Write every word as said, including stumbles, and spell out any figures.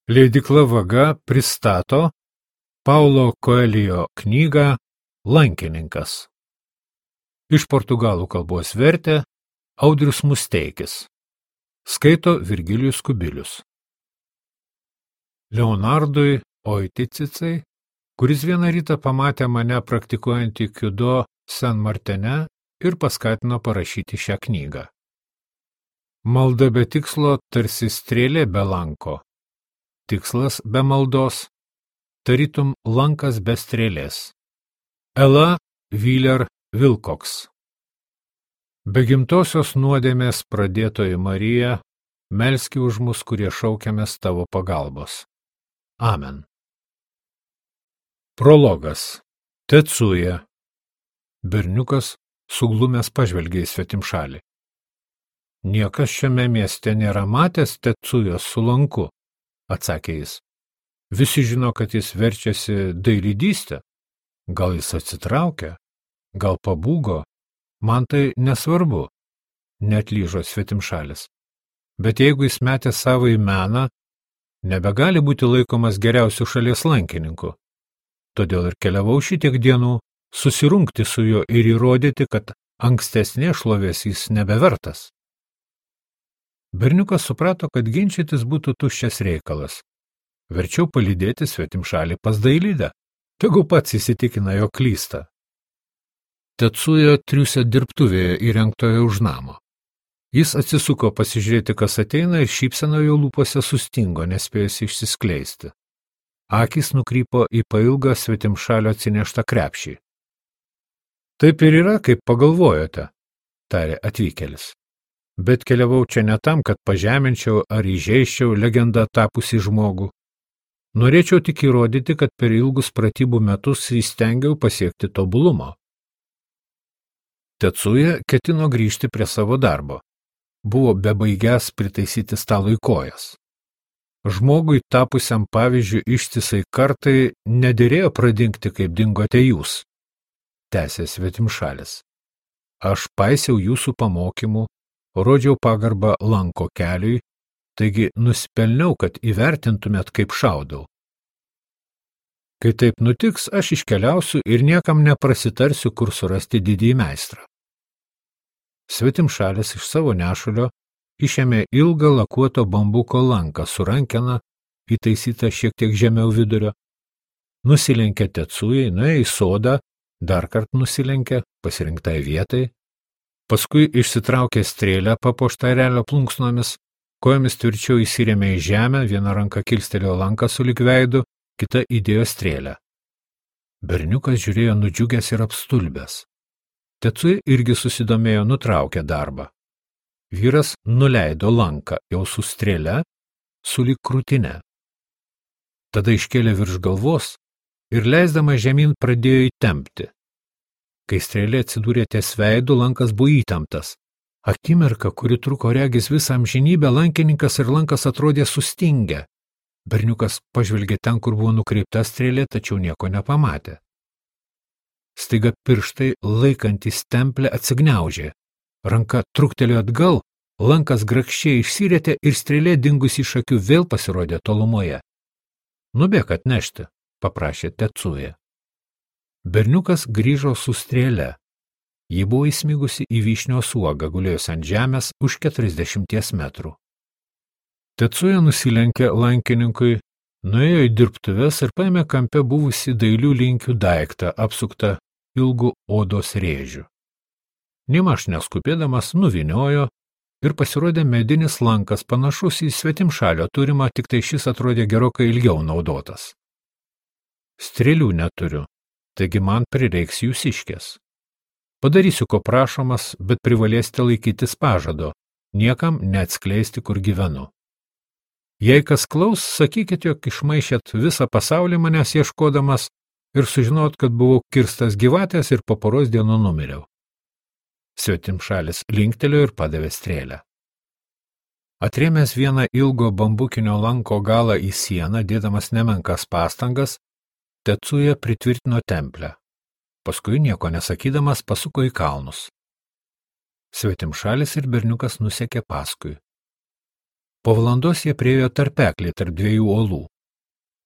Leidykla Vaga pristato Paulo Coelho knygą Lankininkas. Iš portugalų kalbos vertė Audrius Musteikis. Skaito Virgilijus Kubilius. Leonardui Oiticicai, kuris vieną rytą pamatė mane praktikuojantį kiudo San Martene ir paskatino parašyti šią knygą. Malda be tikslo tarsi strėlė be lanko. Tikslas be maldos, tarytum lankas be strėlės. Ela Wheeler Wilcox. Be gimtosios nuodėmės pradėtoji Marija, melski už mus, kurie šaukiamės tavo pagalbos. Amen. Prologas. Tetsuja. Berniukas suglumęs pažvelgė į svetimšalį. Niekas šiame mieste nėra matęs Tetsujos su lanku, atsakė jis. Visi žino, kad jis verčiasi dailydystę. Gal jis atsitraukia, gal pabūgo, man tai nesvarbu, neatlyžo svetimšalis. Bet jeigu jis metė savo į meną, nebegali būti laikomas geriausiu šalies lankininku. Todėl ir keliavau šitiek dienų susirungti su juo ir įrodyti, kad ankstesnė šlovės jis nebevertas. Berniukas suprato, kad ginčytis būtų tuščias reikalas. Verčiau palydėti svetimšalį pas dailydę, tegu pats įsitikina, jo klysta. Tetsuja triūsė dirbtuvėje įrengtoje už namo. Jis atsisuko pasižiūrėti, kas ateina, ir šypsena jo lūpose sustingo, nespėjus išsiskleisti. Akys nukrypo į pailgą svetimšalio atsineštą krepšį. Taip ir yra, kaip pagalvojote, tarė atvykėlis. Bet keliavau čia ne tam, kad pažeminčiau ar įžeisčiau legendą tapusį žmogų. Norėčiau tik įrodyti, kad per ilgus pratybų metus įstengiau pasiekti tobulumo. Tetsuja ketino grįžti prie savo darbo. Buvo bebaigęs pritaisyti stalui kojas. Žmogui tapusiam pavyzdžiui ištisai kartai nederėjo pradingti, kaip dingote jūs, tęsė svetimšalis. Aš paisiau jūsų pamokymų, rodžiau pagarbą lanko keliui, taigi nusipelniau, kad įvertintumėt, kaip šaudau. Kai taip nutiks, aš iškeliausiu ir niekam neprasitarsiu, kur surasti didįjį meistrą. Svetimšalis iš savo nešulio išėmė ilgą lakuoto bambuko lanką su rankena, įtaisyta šiek tiek žemiau vidurio, nusilenkė Tetsujai, nuėjo į sodą, dar kart nusilenkė pasirinktai vietai, paskui išsitraukė strėlę papuoštą erelio plunksnomis, kojomis tvirčiau įsirėmė į žemę, viena ranka kilstelėjo lanką sulig veidu, kita įdėjo strėlę. Berniukas žiūrėjo nudžiugęs ir apstulbęs. Tetsuja irgi susidomėjo, nutraukė darbą. Vyras nuleido lanką jau su strėle, sulig krūtine. Tada iškėlė virš galvos ir leisdama žemyn pradėjo įtempti. Kai strėlė atsidūrė ties veidu, lankas buvo įtemptas. Akimirka, kuri truko regis visą amžinybę, lankininkas ir lankas atrodė sustingę. Berniukas pažvelgė ten, kur buvo nukreipta strėlė, tačiau nieko nepamatė. Staiga pirštai laikantys templę atsigniaužė. Ranka truktelėjo atgal, lankas grakščiai išsirietė ir strėlė dingusi iš akių vėl pasirodė tolumoje. Nubėk atnešti, paprašė Tetsuja. Berniukas grįžo su strėle. Ji buvo įsmigusi į vyšnios uogą, gulėjus ant žemės už keturiasdešimties metrų. Tetsuja nusilenkė lankininkui, nuėjo į dirbtuves ir paėmė kampe buvusi dailių linkių daiktą, apsuktą ilgų odos rėžių. Nėmaž neskubėdamas nuviniojo ir pasirodė medinis lankas, panašus į svetimšalio turimą, tik tai šis atrodė gerokai ilgiau naudotas. Strėlių neturiu, taigi man prireiks jūsiškės. Padarysiu, ko prašomas, bet privalėsite laikytis pažado, niekam neatskleisti, kur gyvenu. Jei kas klaus, sakykit, jog išmaišėt visą pasaulį manęs ieškodamas ir sužinot, kad buvau kirstas gyvatės ir po poros dienų numiriau. Svetimšalis linktelėjo ir padavė strėlę. Atrėmęs vieną ilgo bambukinio lanko galą į sieną, dėdamas nemenkas pastangas, Tetsuja pritvirtino templę. Paskui nieko nesakydamas pasuko į kalnus. Svetimšalis ir berniukas nusekė paskui. Po valandos jie priėjo tarpeklį tarp dviejų uolų.